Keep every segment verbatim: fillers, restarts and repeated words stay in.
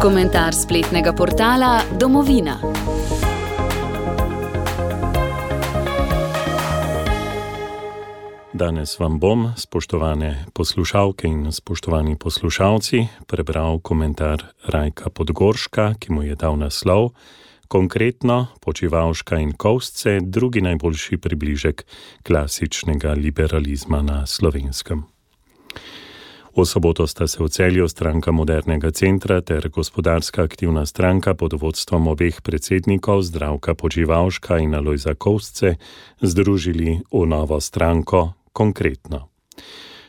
Komentar spletnega portala Domovina. Danes vam bom, spoštovane poslušalke in spoštovani poslušalci, prebral komentar Rajka Podgorška, ki mu je dal naslov Konkretno, Počivalška in Kovsce, drugi najboljši približek klasičnega liberalizma na Slovenskem. V soboto sta se v Celju Stranka modernega centra ter Gospodarska aktivna stranka pod vodstvom obeh predsednikov Zdravka Počivalška in Alojza Kovsce združili v novo stranko Konkretno.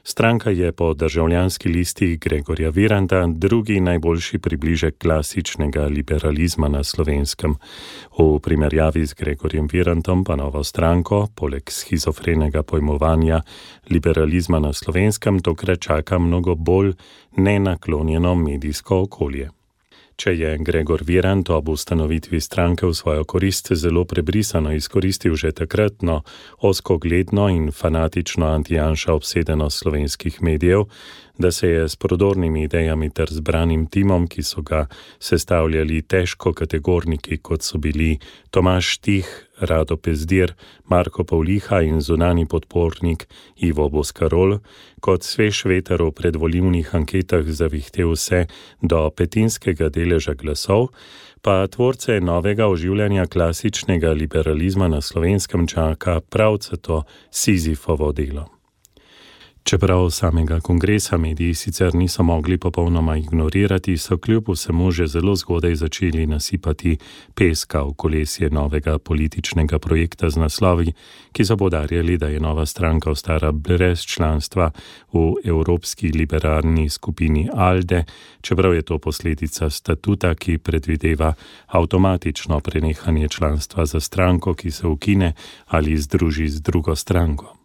Stranka je po državljanski listi Gregorja Viranta drugi najboljši približek klasičnega liberalizma na Slovenskem. V primerjavi z Gregorjem Virantom pa novo stranko, poleg schizofrenega pojmovanja liberalizma na Slovenskem, tokrat čaka mnogo bolj nenaklonjeno medijsko okolje. Če je Gregor Virant ob ustanovitvi stranke v svojo korist zelo prebrisano izkoristil že takratno ozkogledno in fanatično anti-Janša obsedenost slovenskih medijev, da se je s prodornimi idejami ter zbranim timom, ki so ga sestavljali težko kategorniki, kot so bili Tomaž Štih, Rado Pezdir, Marko Pavliha in zunani podpornik Ivo Boscarol, kot svež veter v predvolilnih anketah zavihtel vse do petinskega deleža glasov, pa tvorce novega oživljanja klasičnega liberalizma na Slovenskem čaka pravcato Sizifovo delo. Čeprav samega kongresa mediji sicer niso mogli popolnoma ignorirati, so kljub vsemu že zelo zgodaj začeli nasipati peska v kolesje novega političnega projekta z naslovi, ki so poudarjali, da je nova stranka ostala brez članstva v Evropski liberalni skupini ALDE, čeprav je to posledica statuta, ki predvideva avtomatično prenehanje članstva za stranko, ki se ukine ali združi z drugo stranko.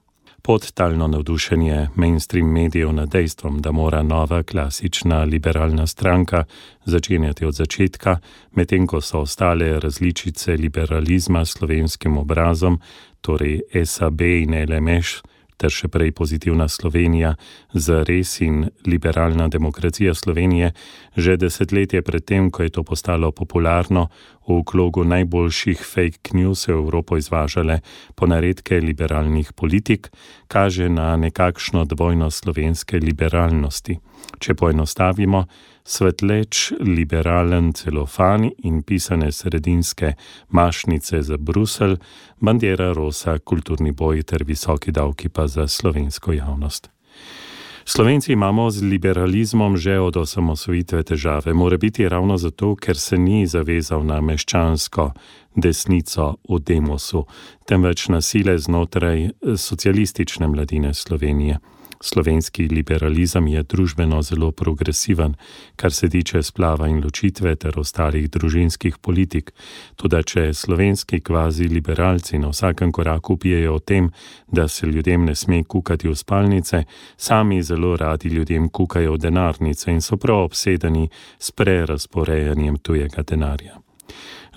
Podtalno navdušenje mainstream medijev nad dejstvom, da mora nova klasična liberalna stranka začenjati od začetka, medtem ko so ostale različice liberalizma s slovenskim obrazom, torej S A B in L M Š, ter še prej Pozitivna Slovenija, Zares in Liberalna demokracija Slovenije, že desetletje pred tem, ko je to postalo popularno, v krogu najboljših fake news v Evropo izvažale ponaredke liberalnih politik, kaže na nekakšno dvojnost slovenske liberalnosti. Če poenostavimo, svetleč liberalen celofan in pisane sredinske mašnice za Bruselj, bandera rosa, kulturni boj ter visoki davki pa za slovensko javnost. Slovenci imamo z liberalizmom že od osamosvojitve težave, mora biti ravno zato, ker se ni zavezal na meščansko desnico v demosu, temveč na sile znotraj socialistične mladine Slovenije. Slovenski liberalizem je družbeno zelo progresiven, kar se tiče splava in ločitve ter ostalih družinskih politik. Toda če slovenski kvazi liberalci na vsakem koraku pijejo o tem, da se ljudem ne sme kukati v spalnice, sami zelo radi ljudem kukajo v denarnice in so prav obsedeni s prerazporejanjem tujega denarja.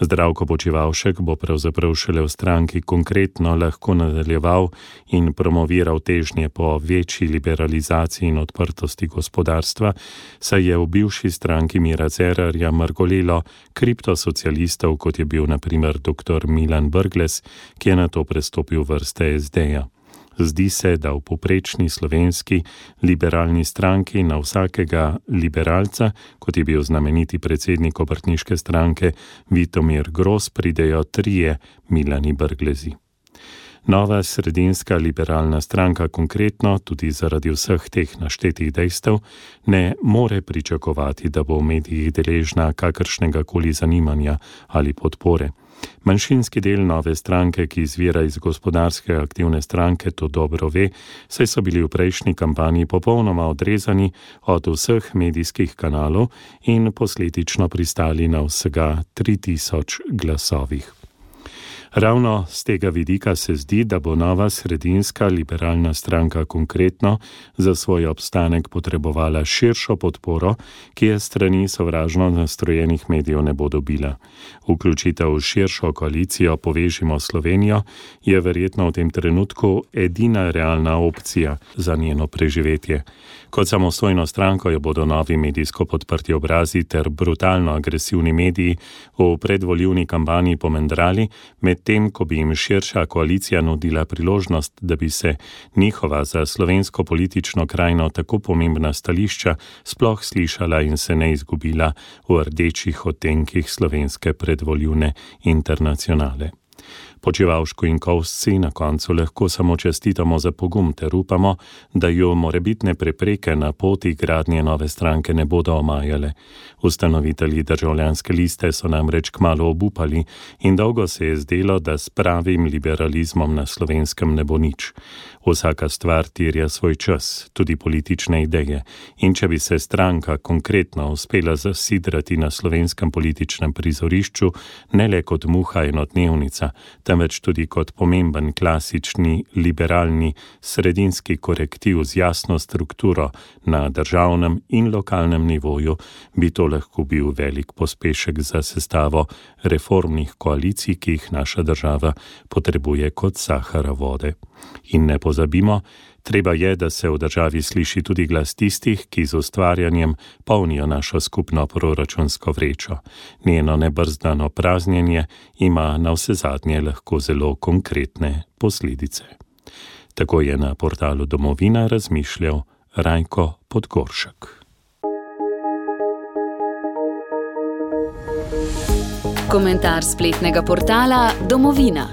Zdravko Počivalšek bo pravzaprav šele v stranki Konkretno lahko nadaljeval in promoviral težnje po večji liberalizaciji in odprtosti gospodarstva, saj je v bivši stranki Mira Cerarja mrgolelo kriptosocialistov, kot je bil na primer doktor Milan Brglez, ki je nato prestopil vrste S D-ja. Zdi se, da v povprečni slovenski liberalni stranki na vsakega liberalca, kot je bil znameniti predsednik obrtniške stranke Vitomir Gros, pridejo trije Milani Brglezi. Nova sredinska liberalna stranka Konkretno, tudi zaradi vseh teh naštetih dejstev, ne more pričakovati, da bo v medijih deležna kakršnega koli zanimanja ali podpore. Manjšinski del nove stranke, ki izvira iz Gospodarske aktivne stranke, to dobro ve, saj so bili v prejšnji kampanji popolnoma odrezani od vseh medijskih kanalov in posledično pristali na vsega tri tisoč glasovih. Ravno z tega vidika se zdi, da bo nova sredinska liberalna stranka Konkretno za svoj obstanek potrebovala širšo podporo, ki je strani sovražno nastrojenih medijev ne bo dobila. Vključitev v širšo koalicijo Povežimo Slovenijo je verjetno v tem trenutku edina realna opcija za njeno preživetje. Kot samostojno stranko jo bodo novi medijsko podprti obrazi ter brutalno agresivni mediji v predvoljivni kampanji pomendrali, medtem ko bi jim širša koalicija nudila priložnost, da bi se njihova za slovensko politično krajino tako pomembna stališča sploh slišala in se ne izgubila v rdečih odtenkih slovenske predvoljivne internacionale. Počivalšku in Kovsci na koncu lahko samo čestitamo za pogum ter upamo, da jo morebitne prepreke na poti gradnje nove stranke ne bodo omajale. Ustanovitelji Državljanske liste so namreč kmalu obupali in dolgo se je zdelo, da s pravim liberalizmom na Slovenskem ne bo nič. Vsaka stvar terja svoj čas, tudi politične ideje, in če bi se stranka Konkretno uspela zasidrati na slovenskem političnem prizorišču, ne le kot muha enodnevnica, temveč tudi kot pomemben klasični, liberalni, sredinski korektiv z jasno strukturo na državnem in lokalnem nivoju, bi to lahko bil velik pospešek za sestavo reformnih koalicij, ki jih naša država potrebuje kot sahara vode. In ne pozabimo, treba je, da se v državi sliši tudi glas tistih, ki z ustvarjanjem polnijo našo skupno proračunsko vrečo. Njeno nebrzdano praznjenje ima navsezadnje lahko zelo konkretne posledice. Tako je na portalu Domovina razmišljal Rajko Podgoršek. Komentar spletnega portala Domovina.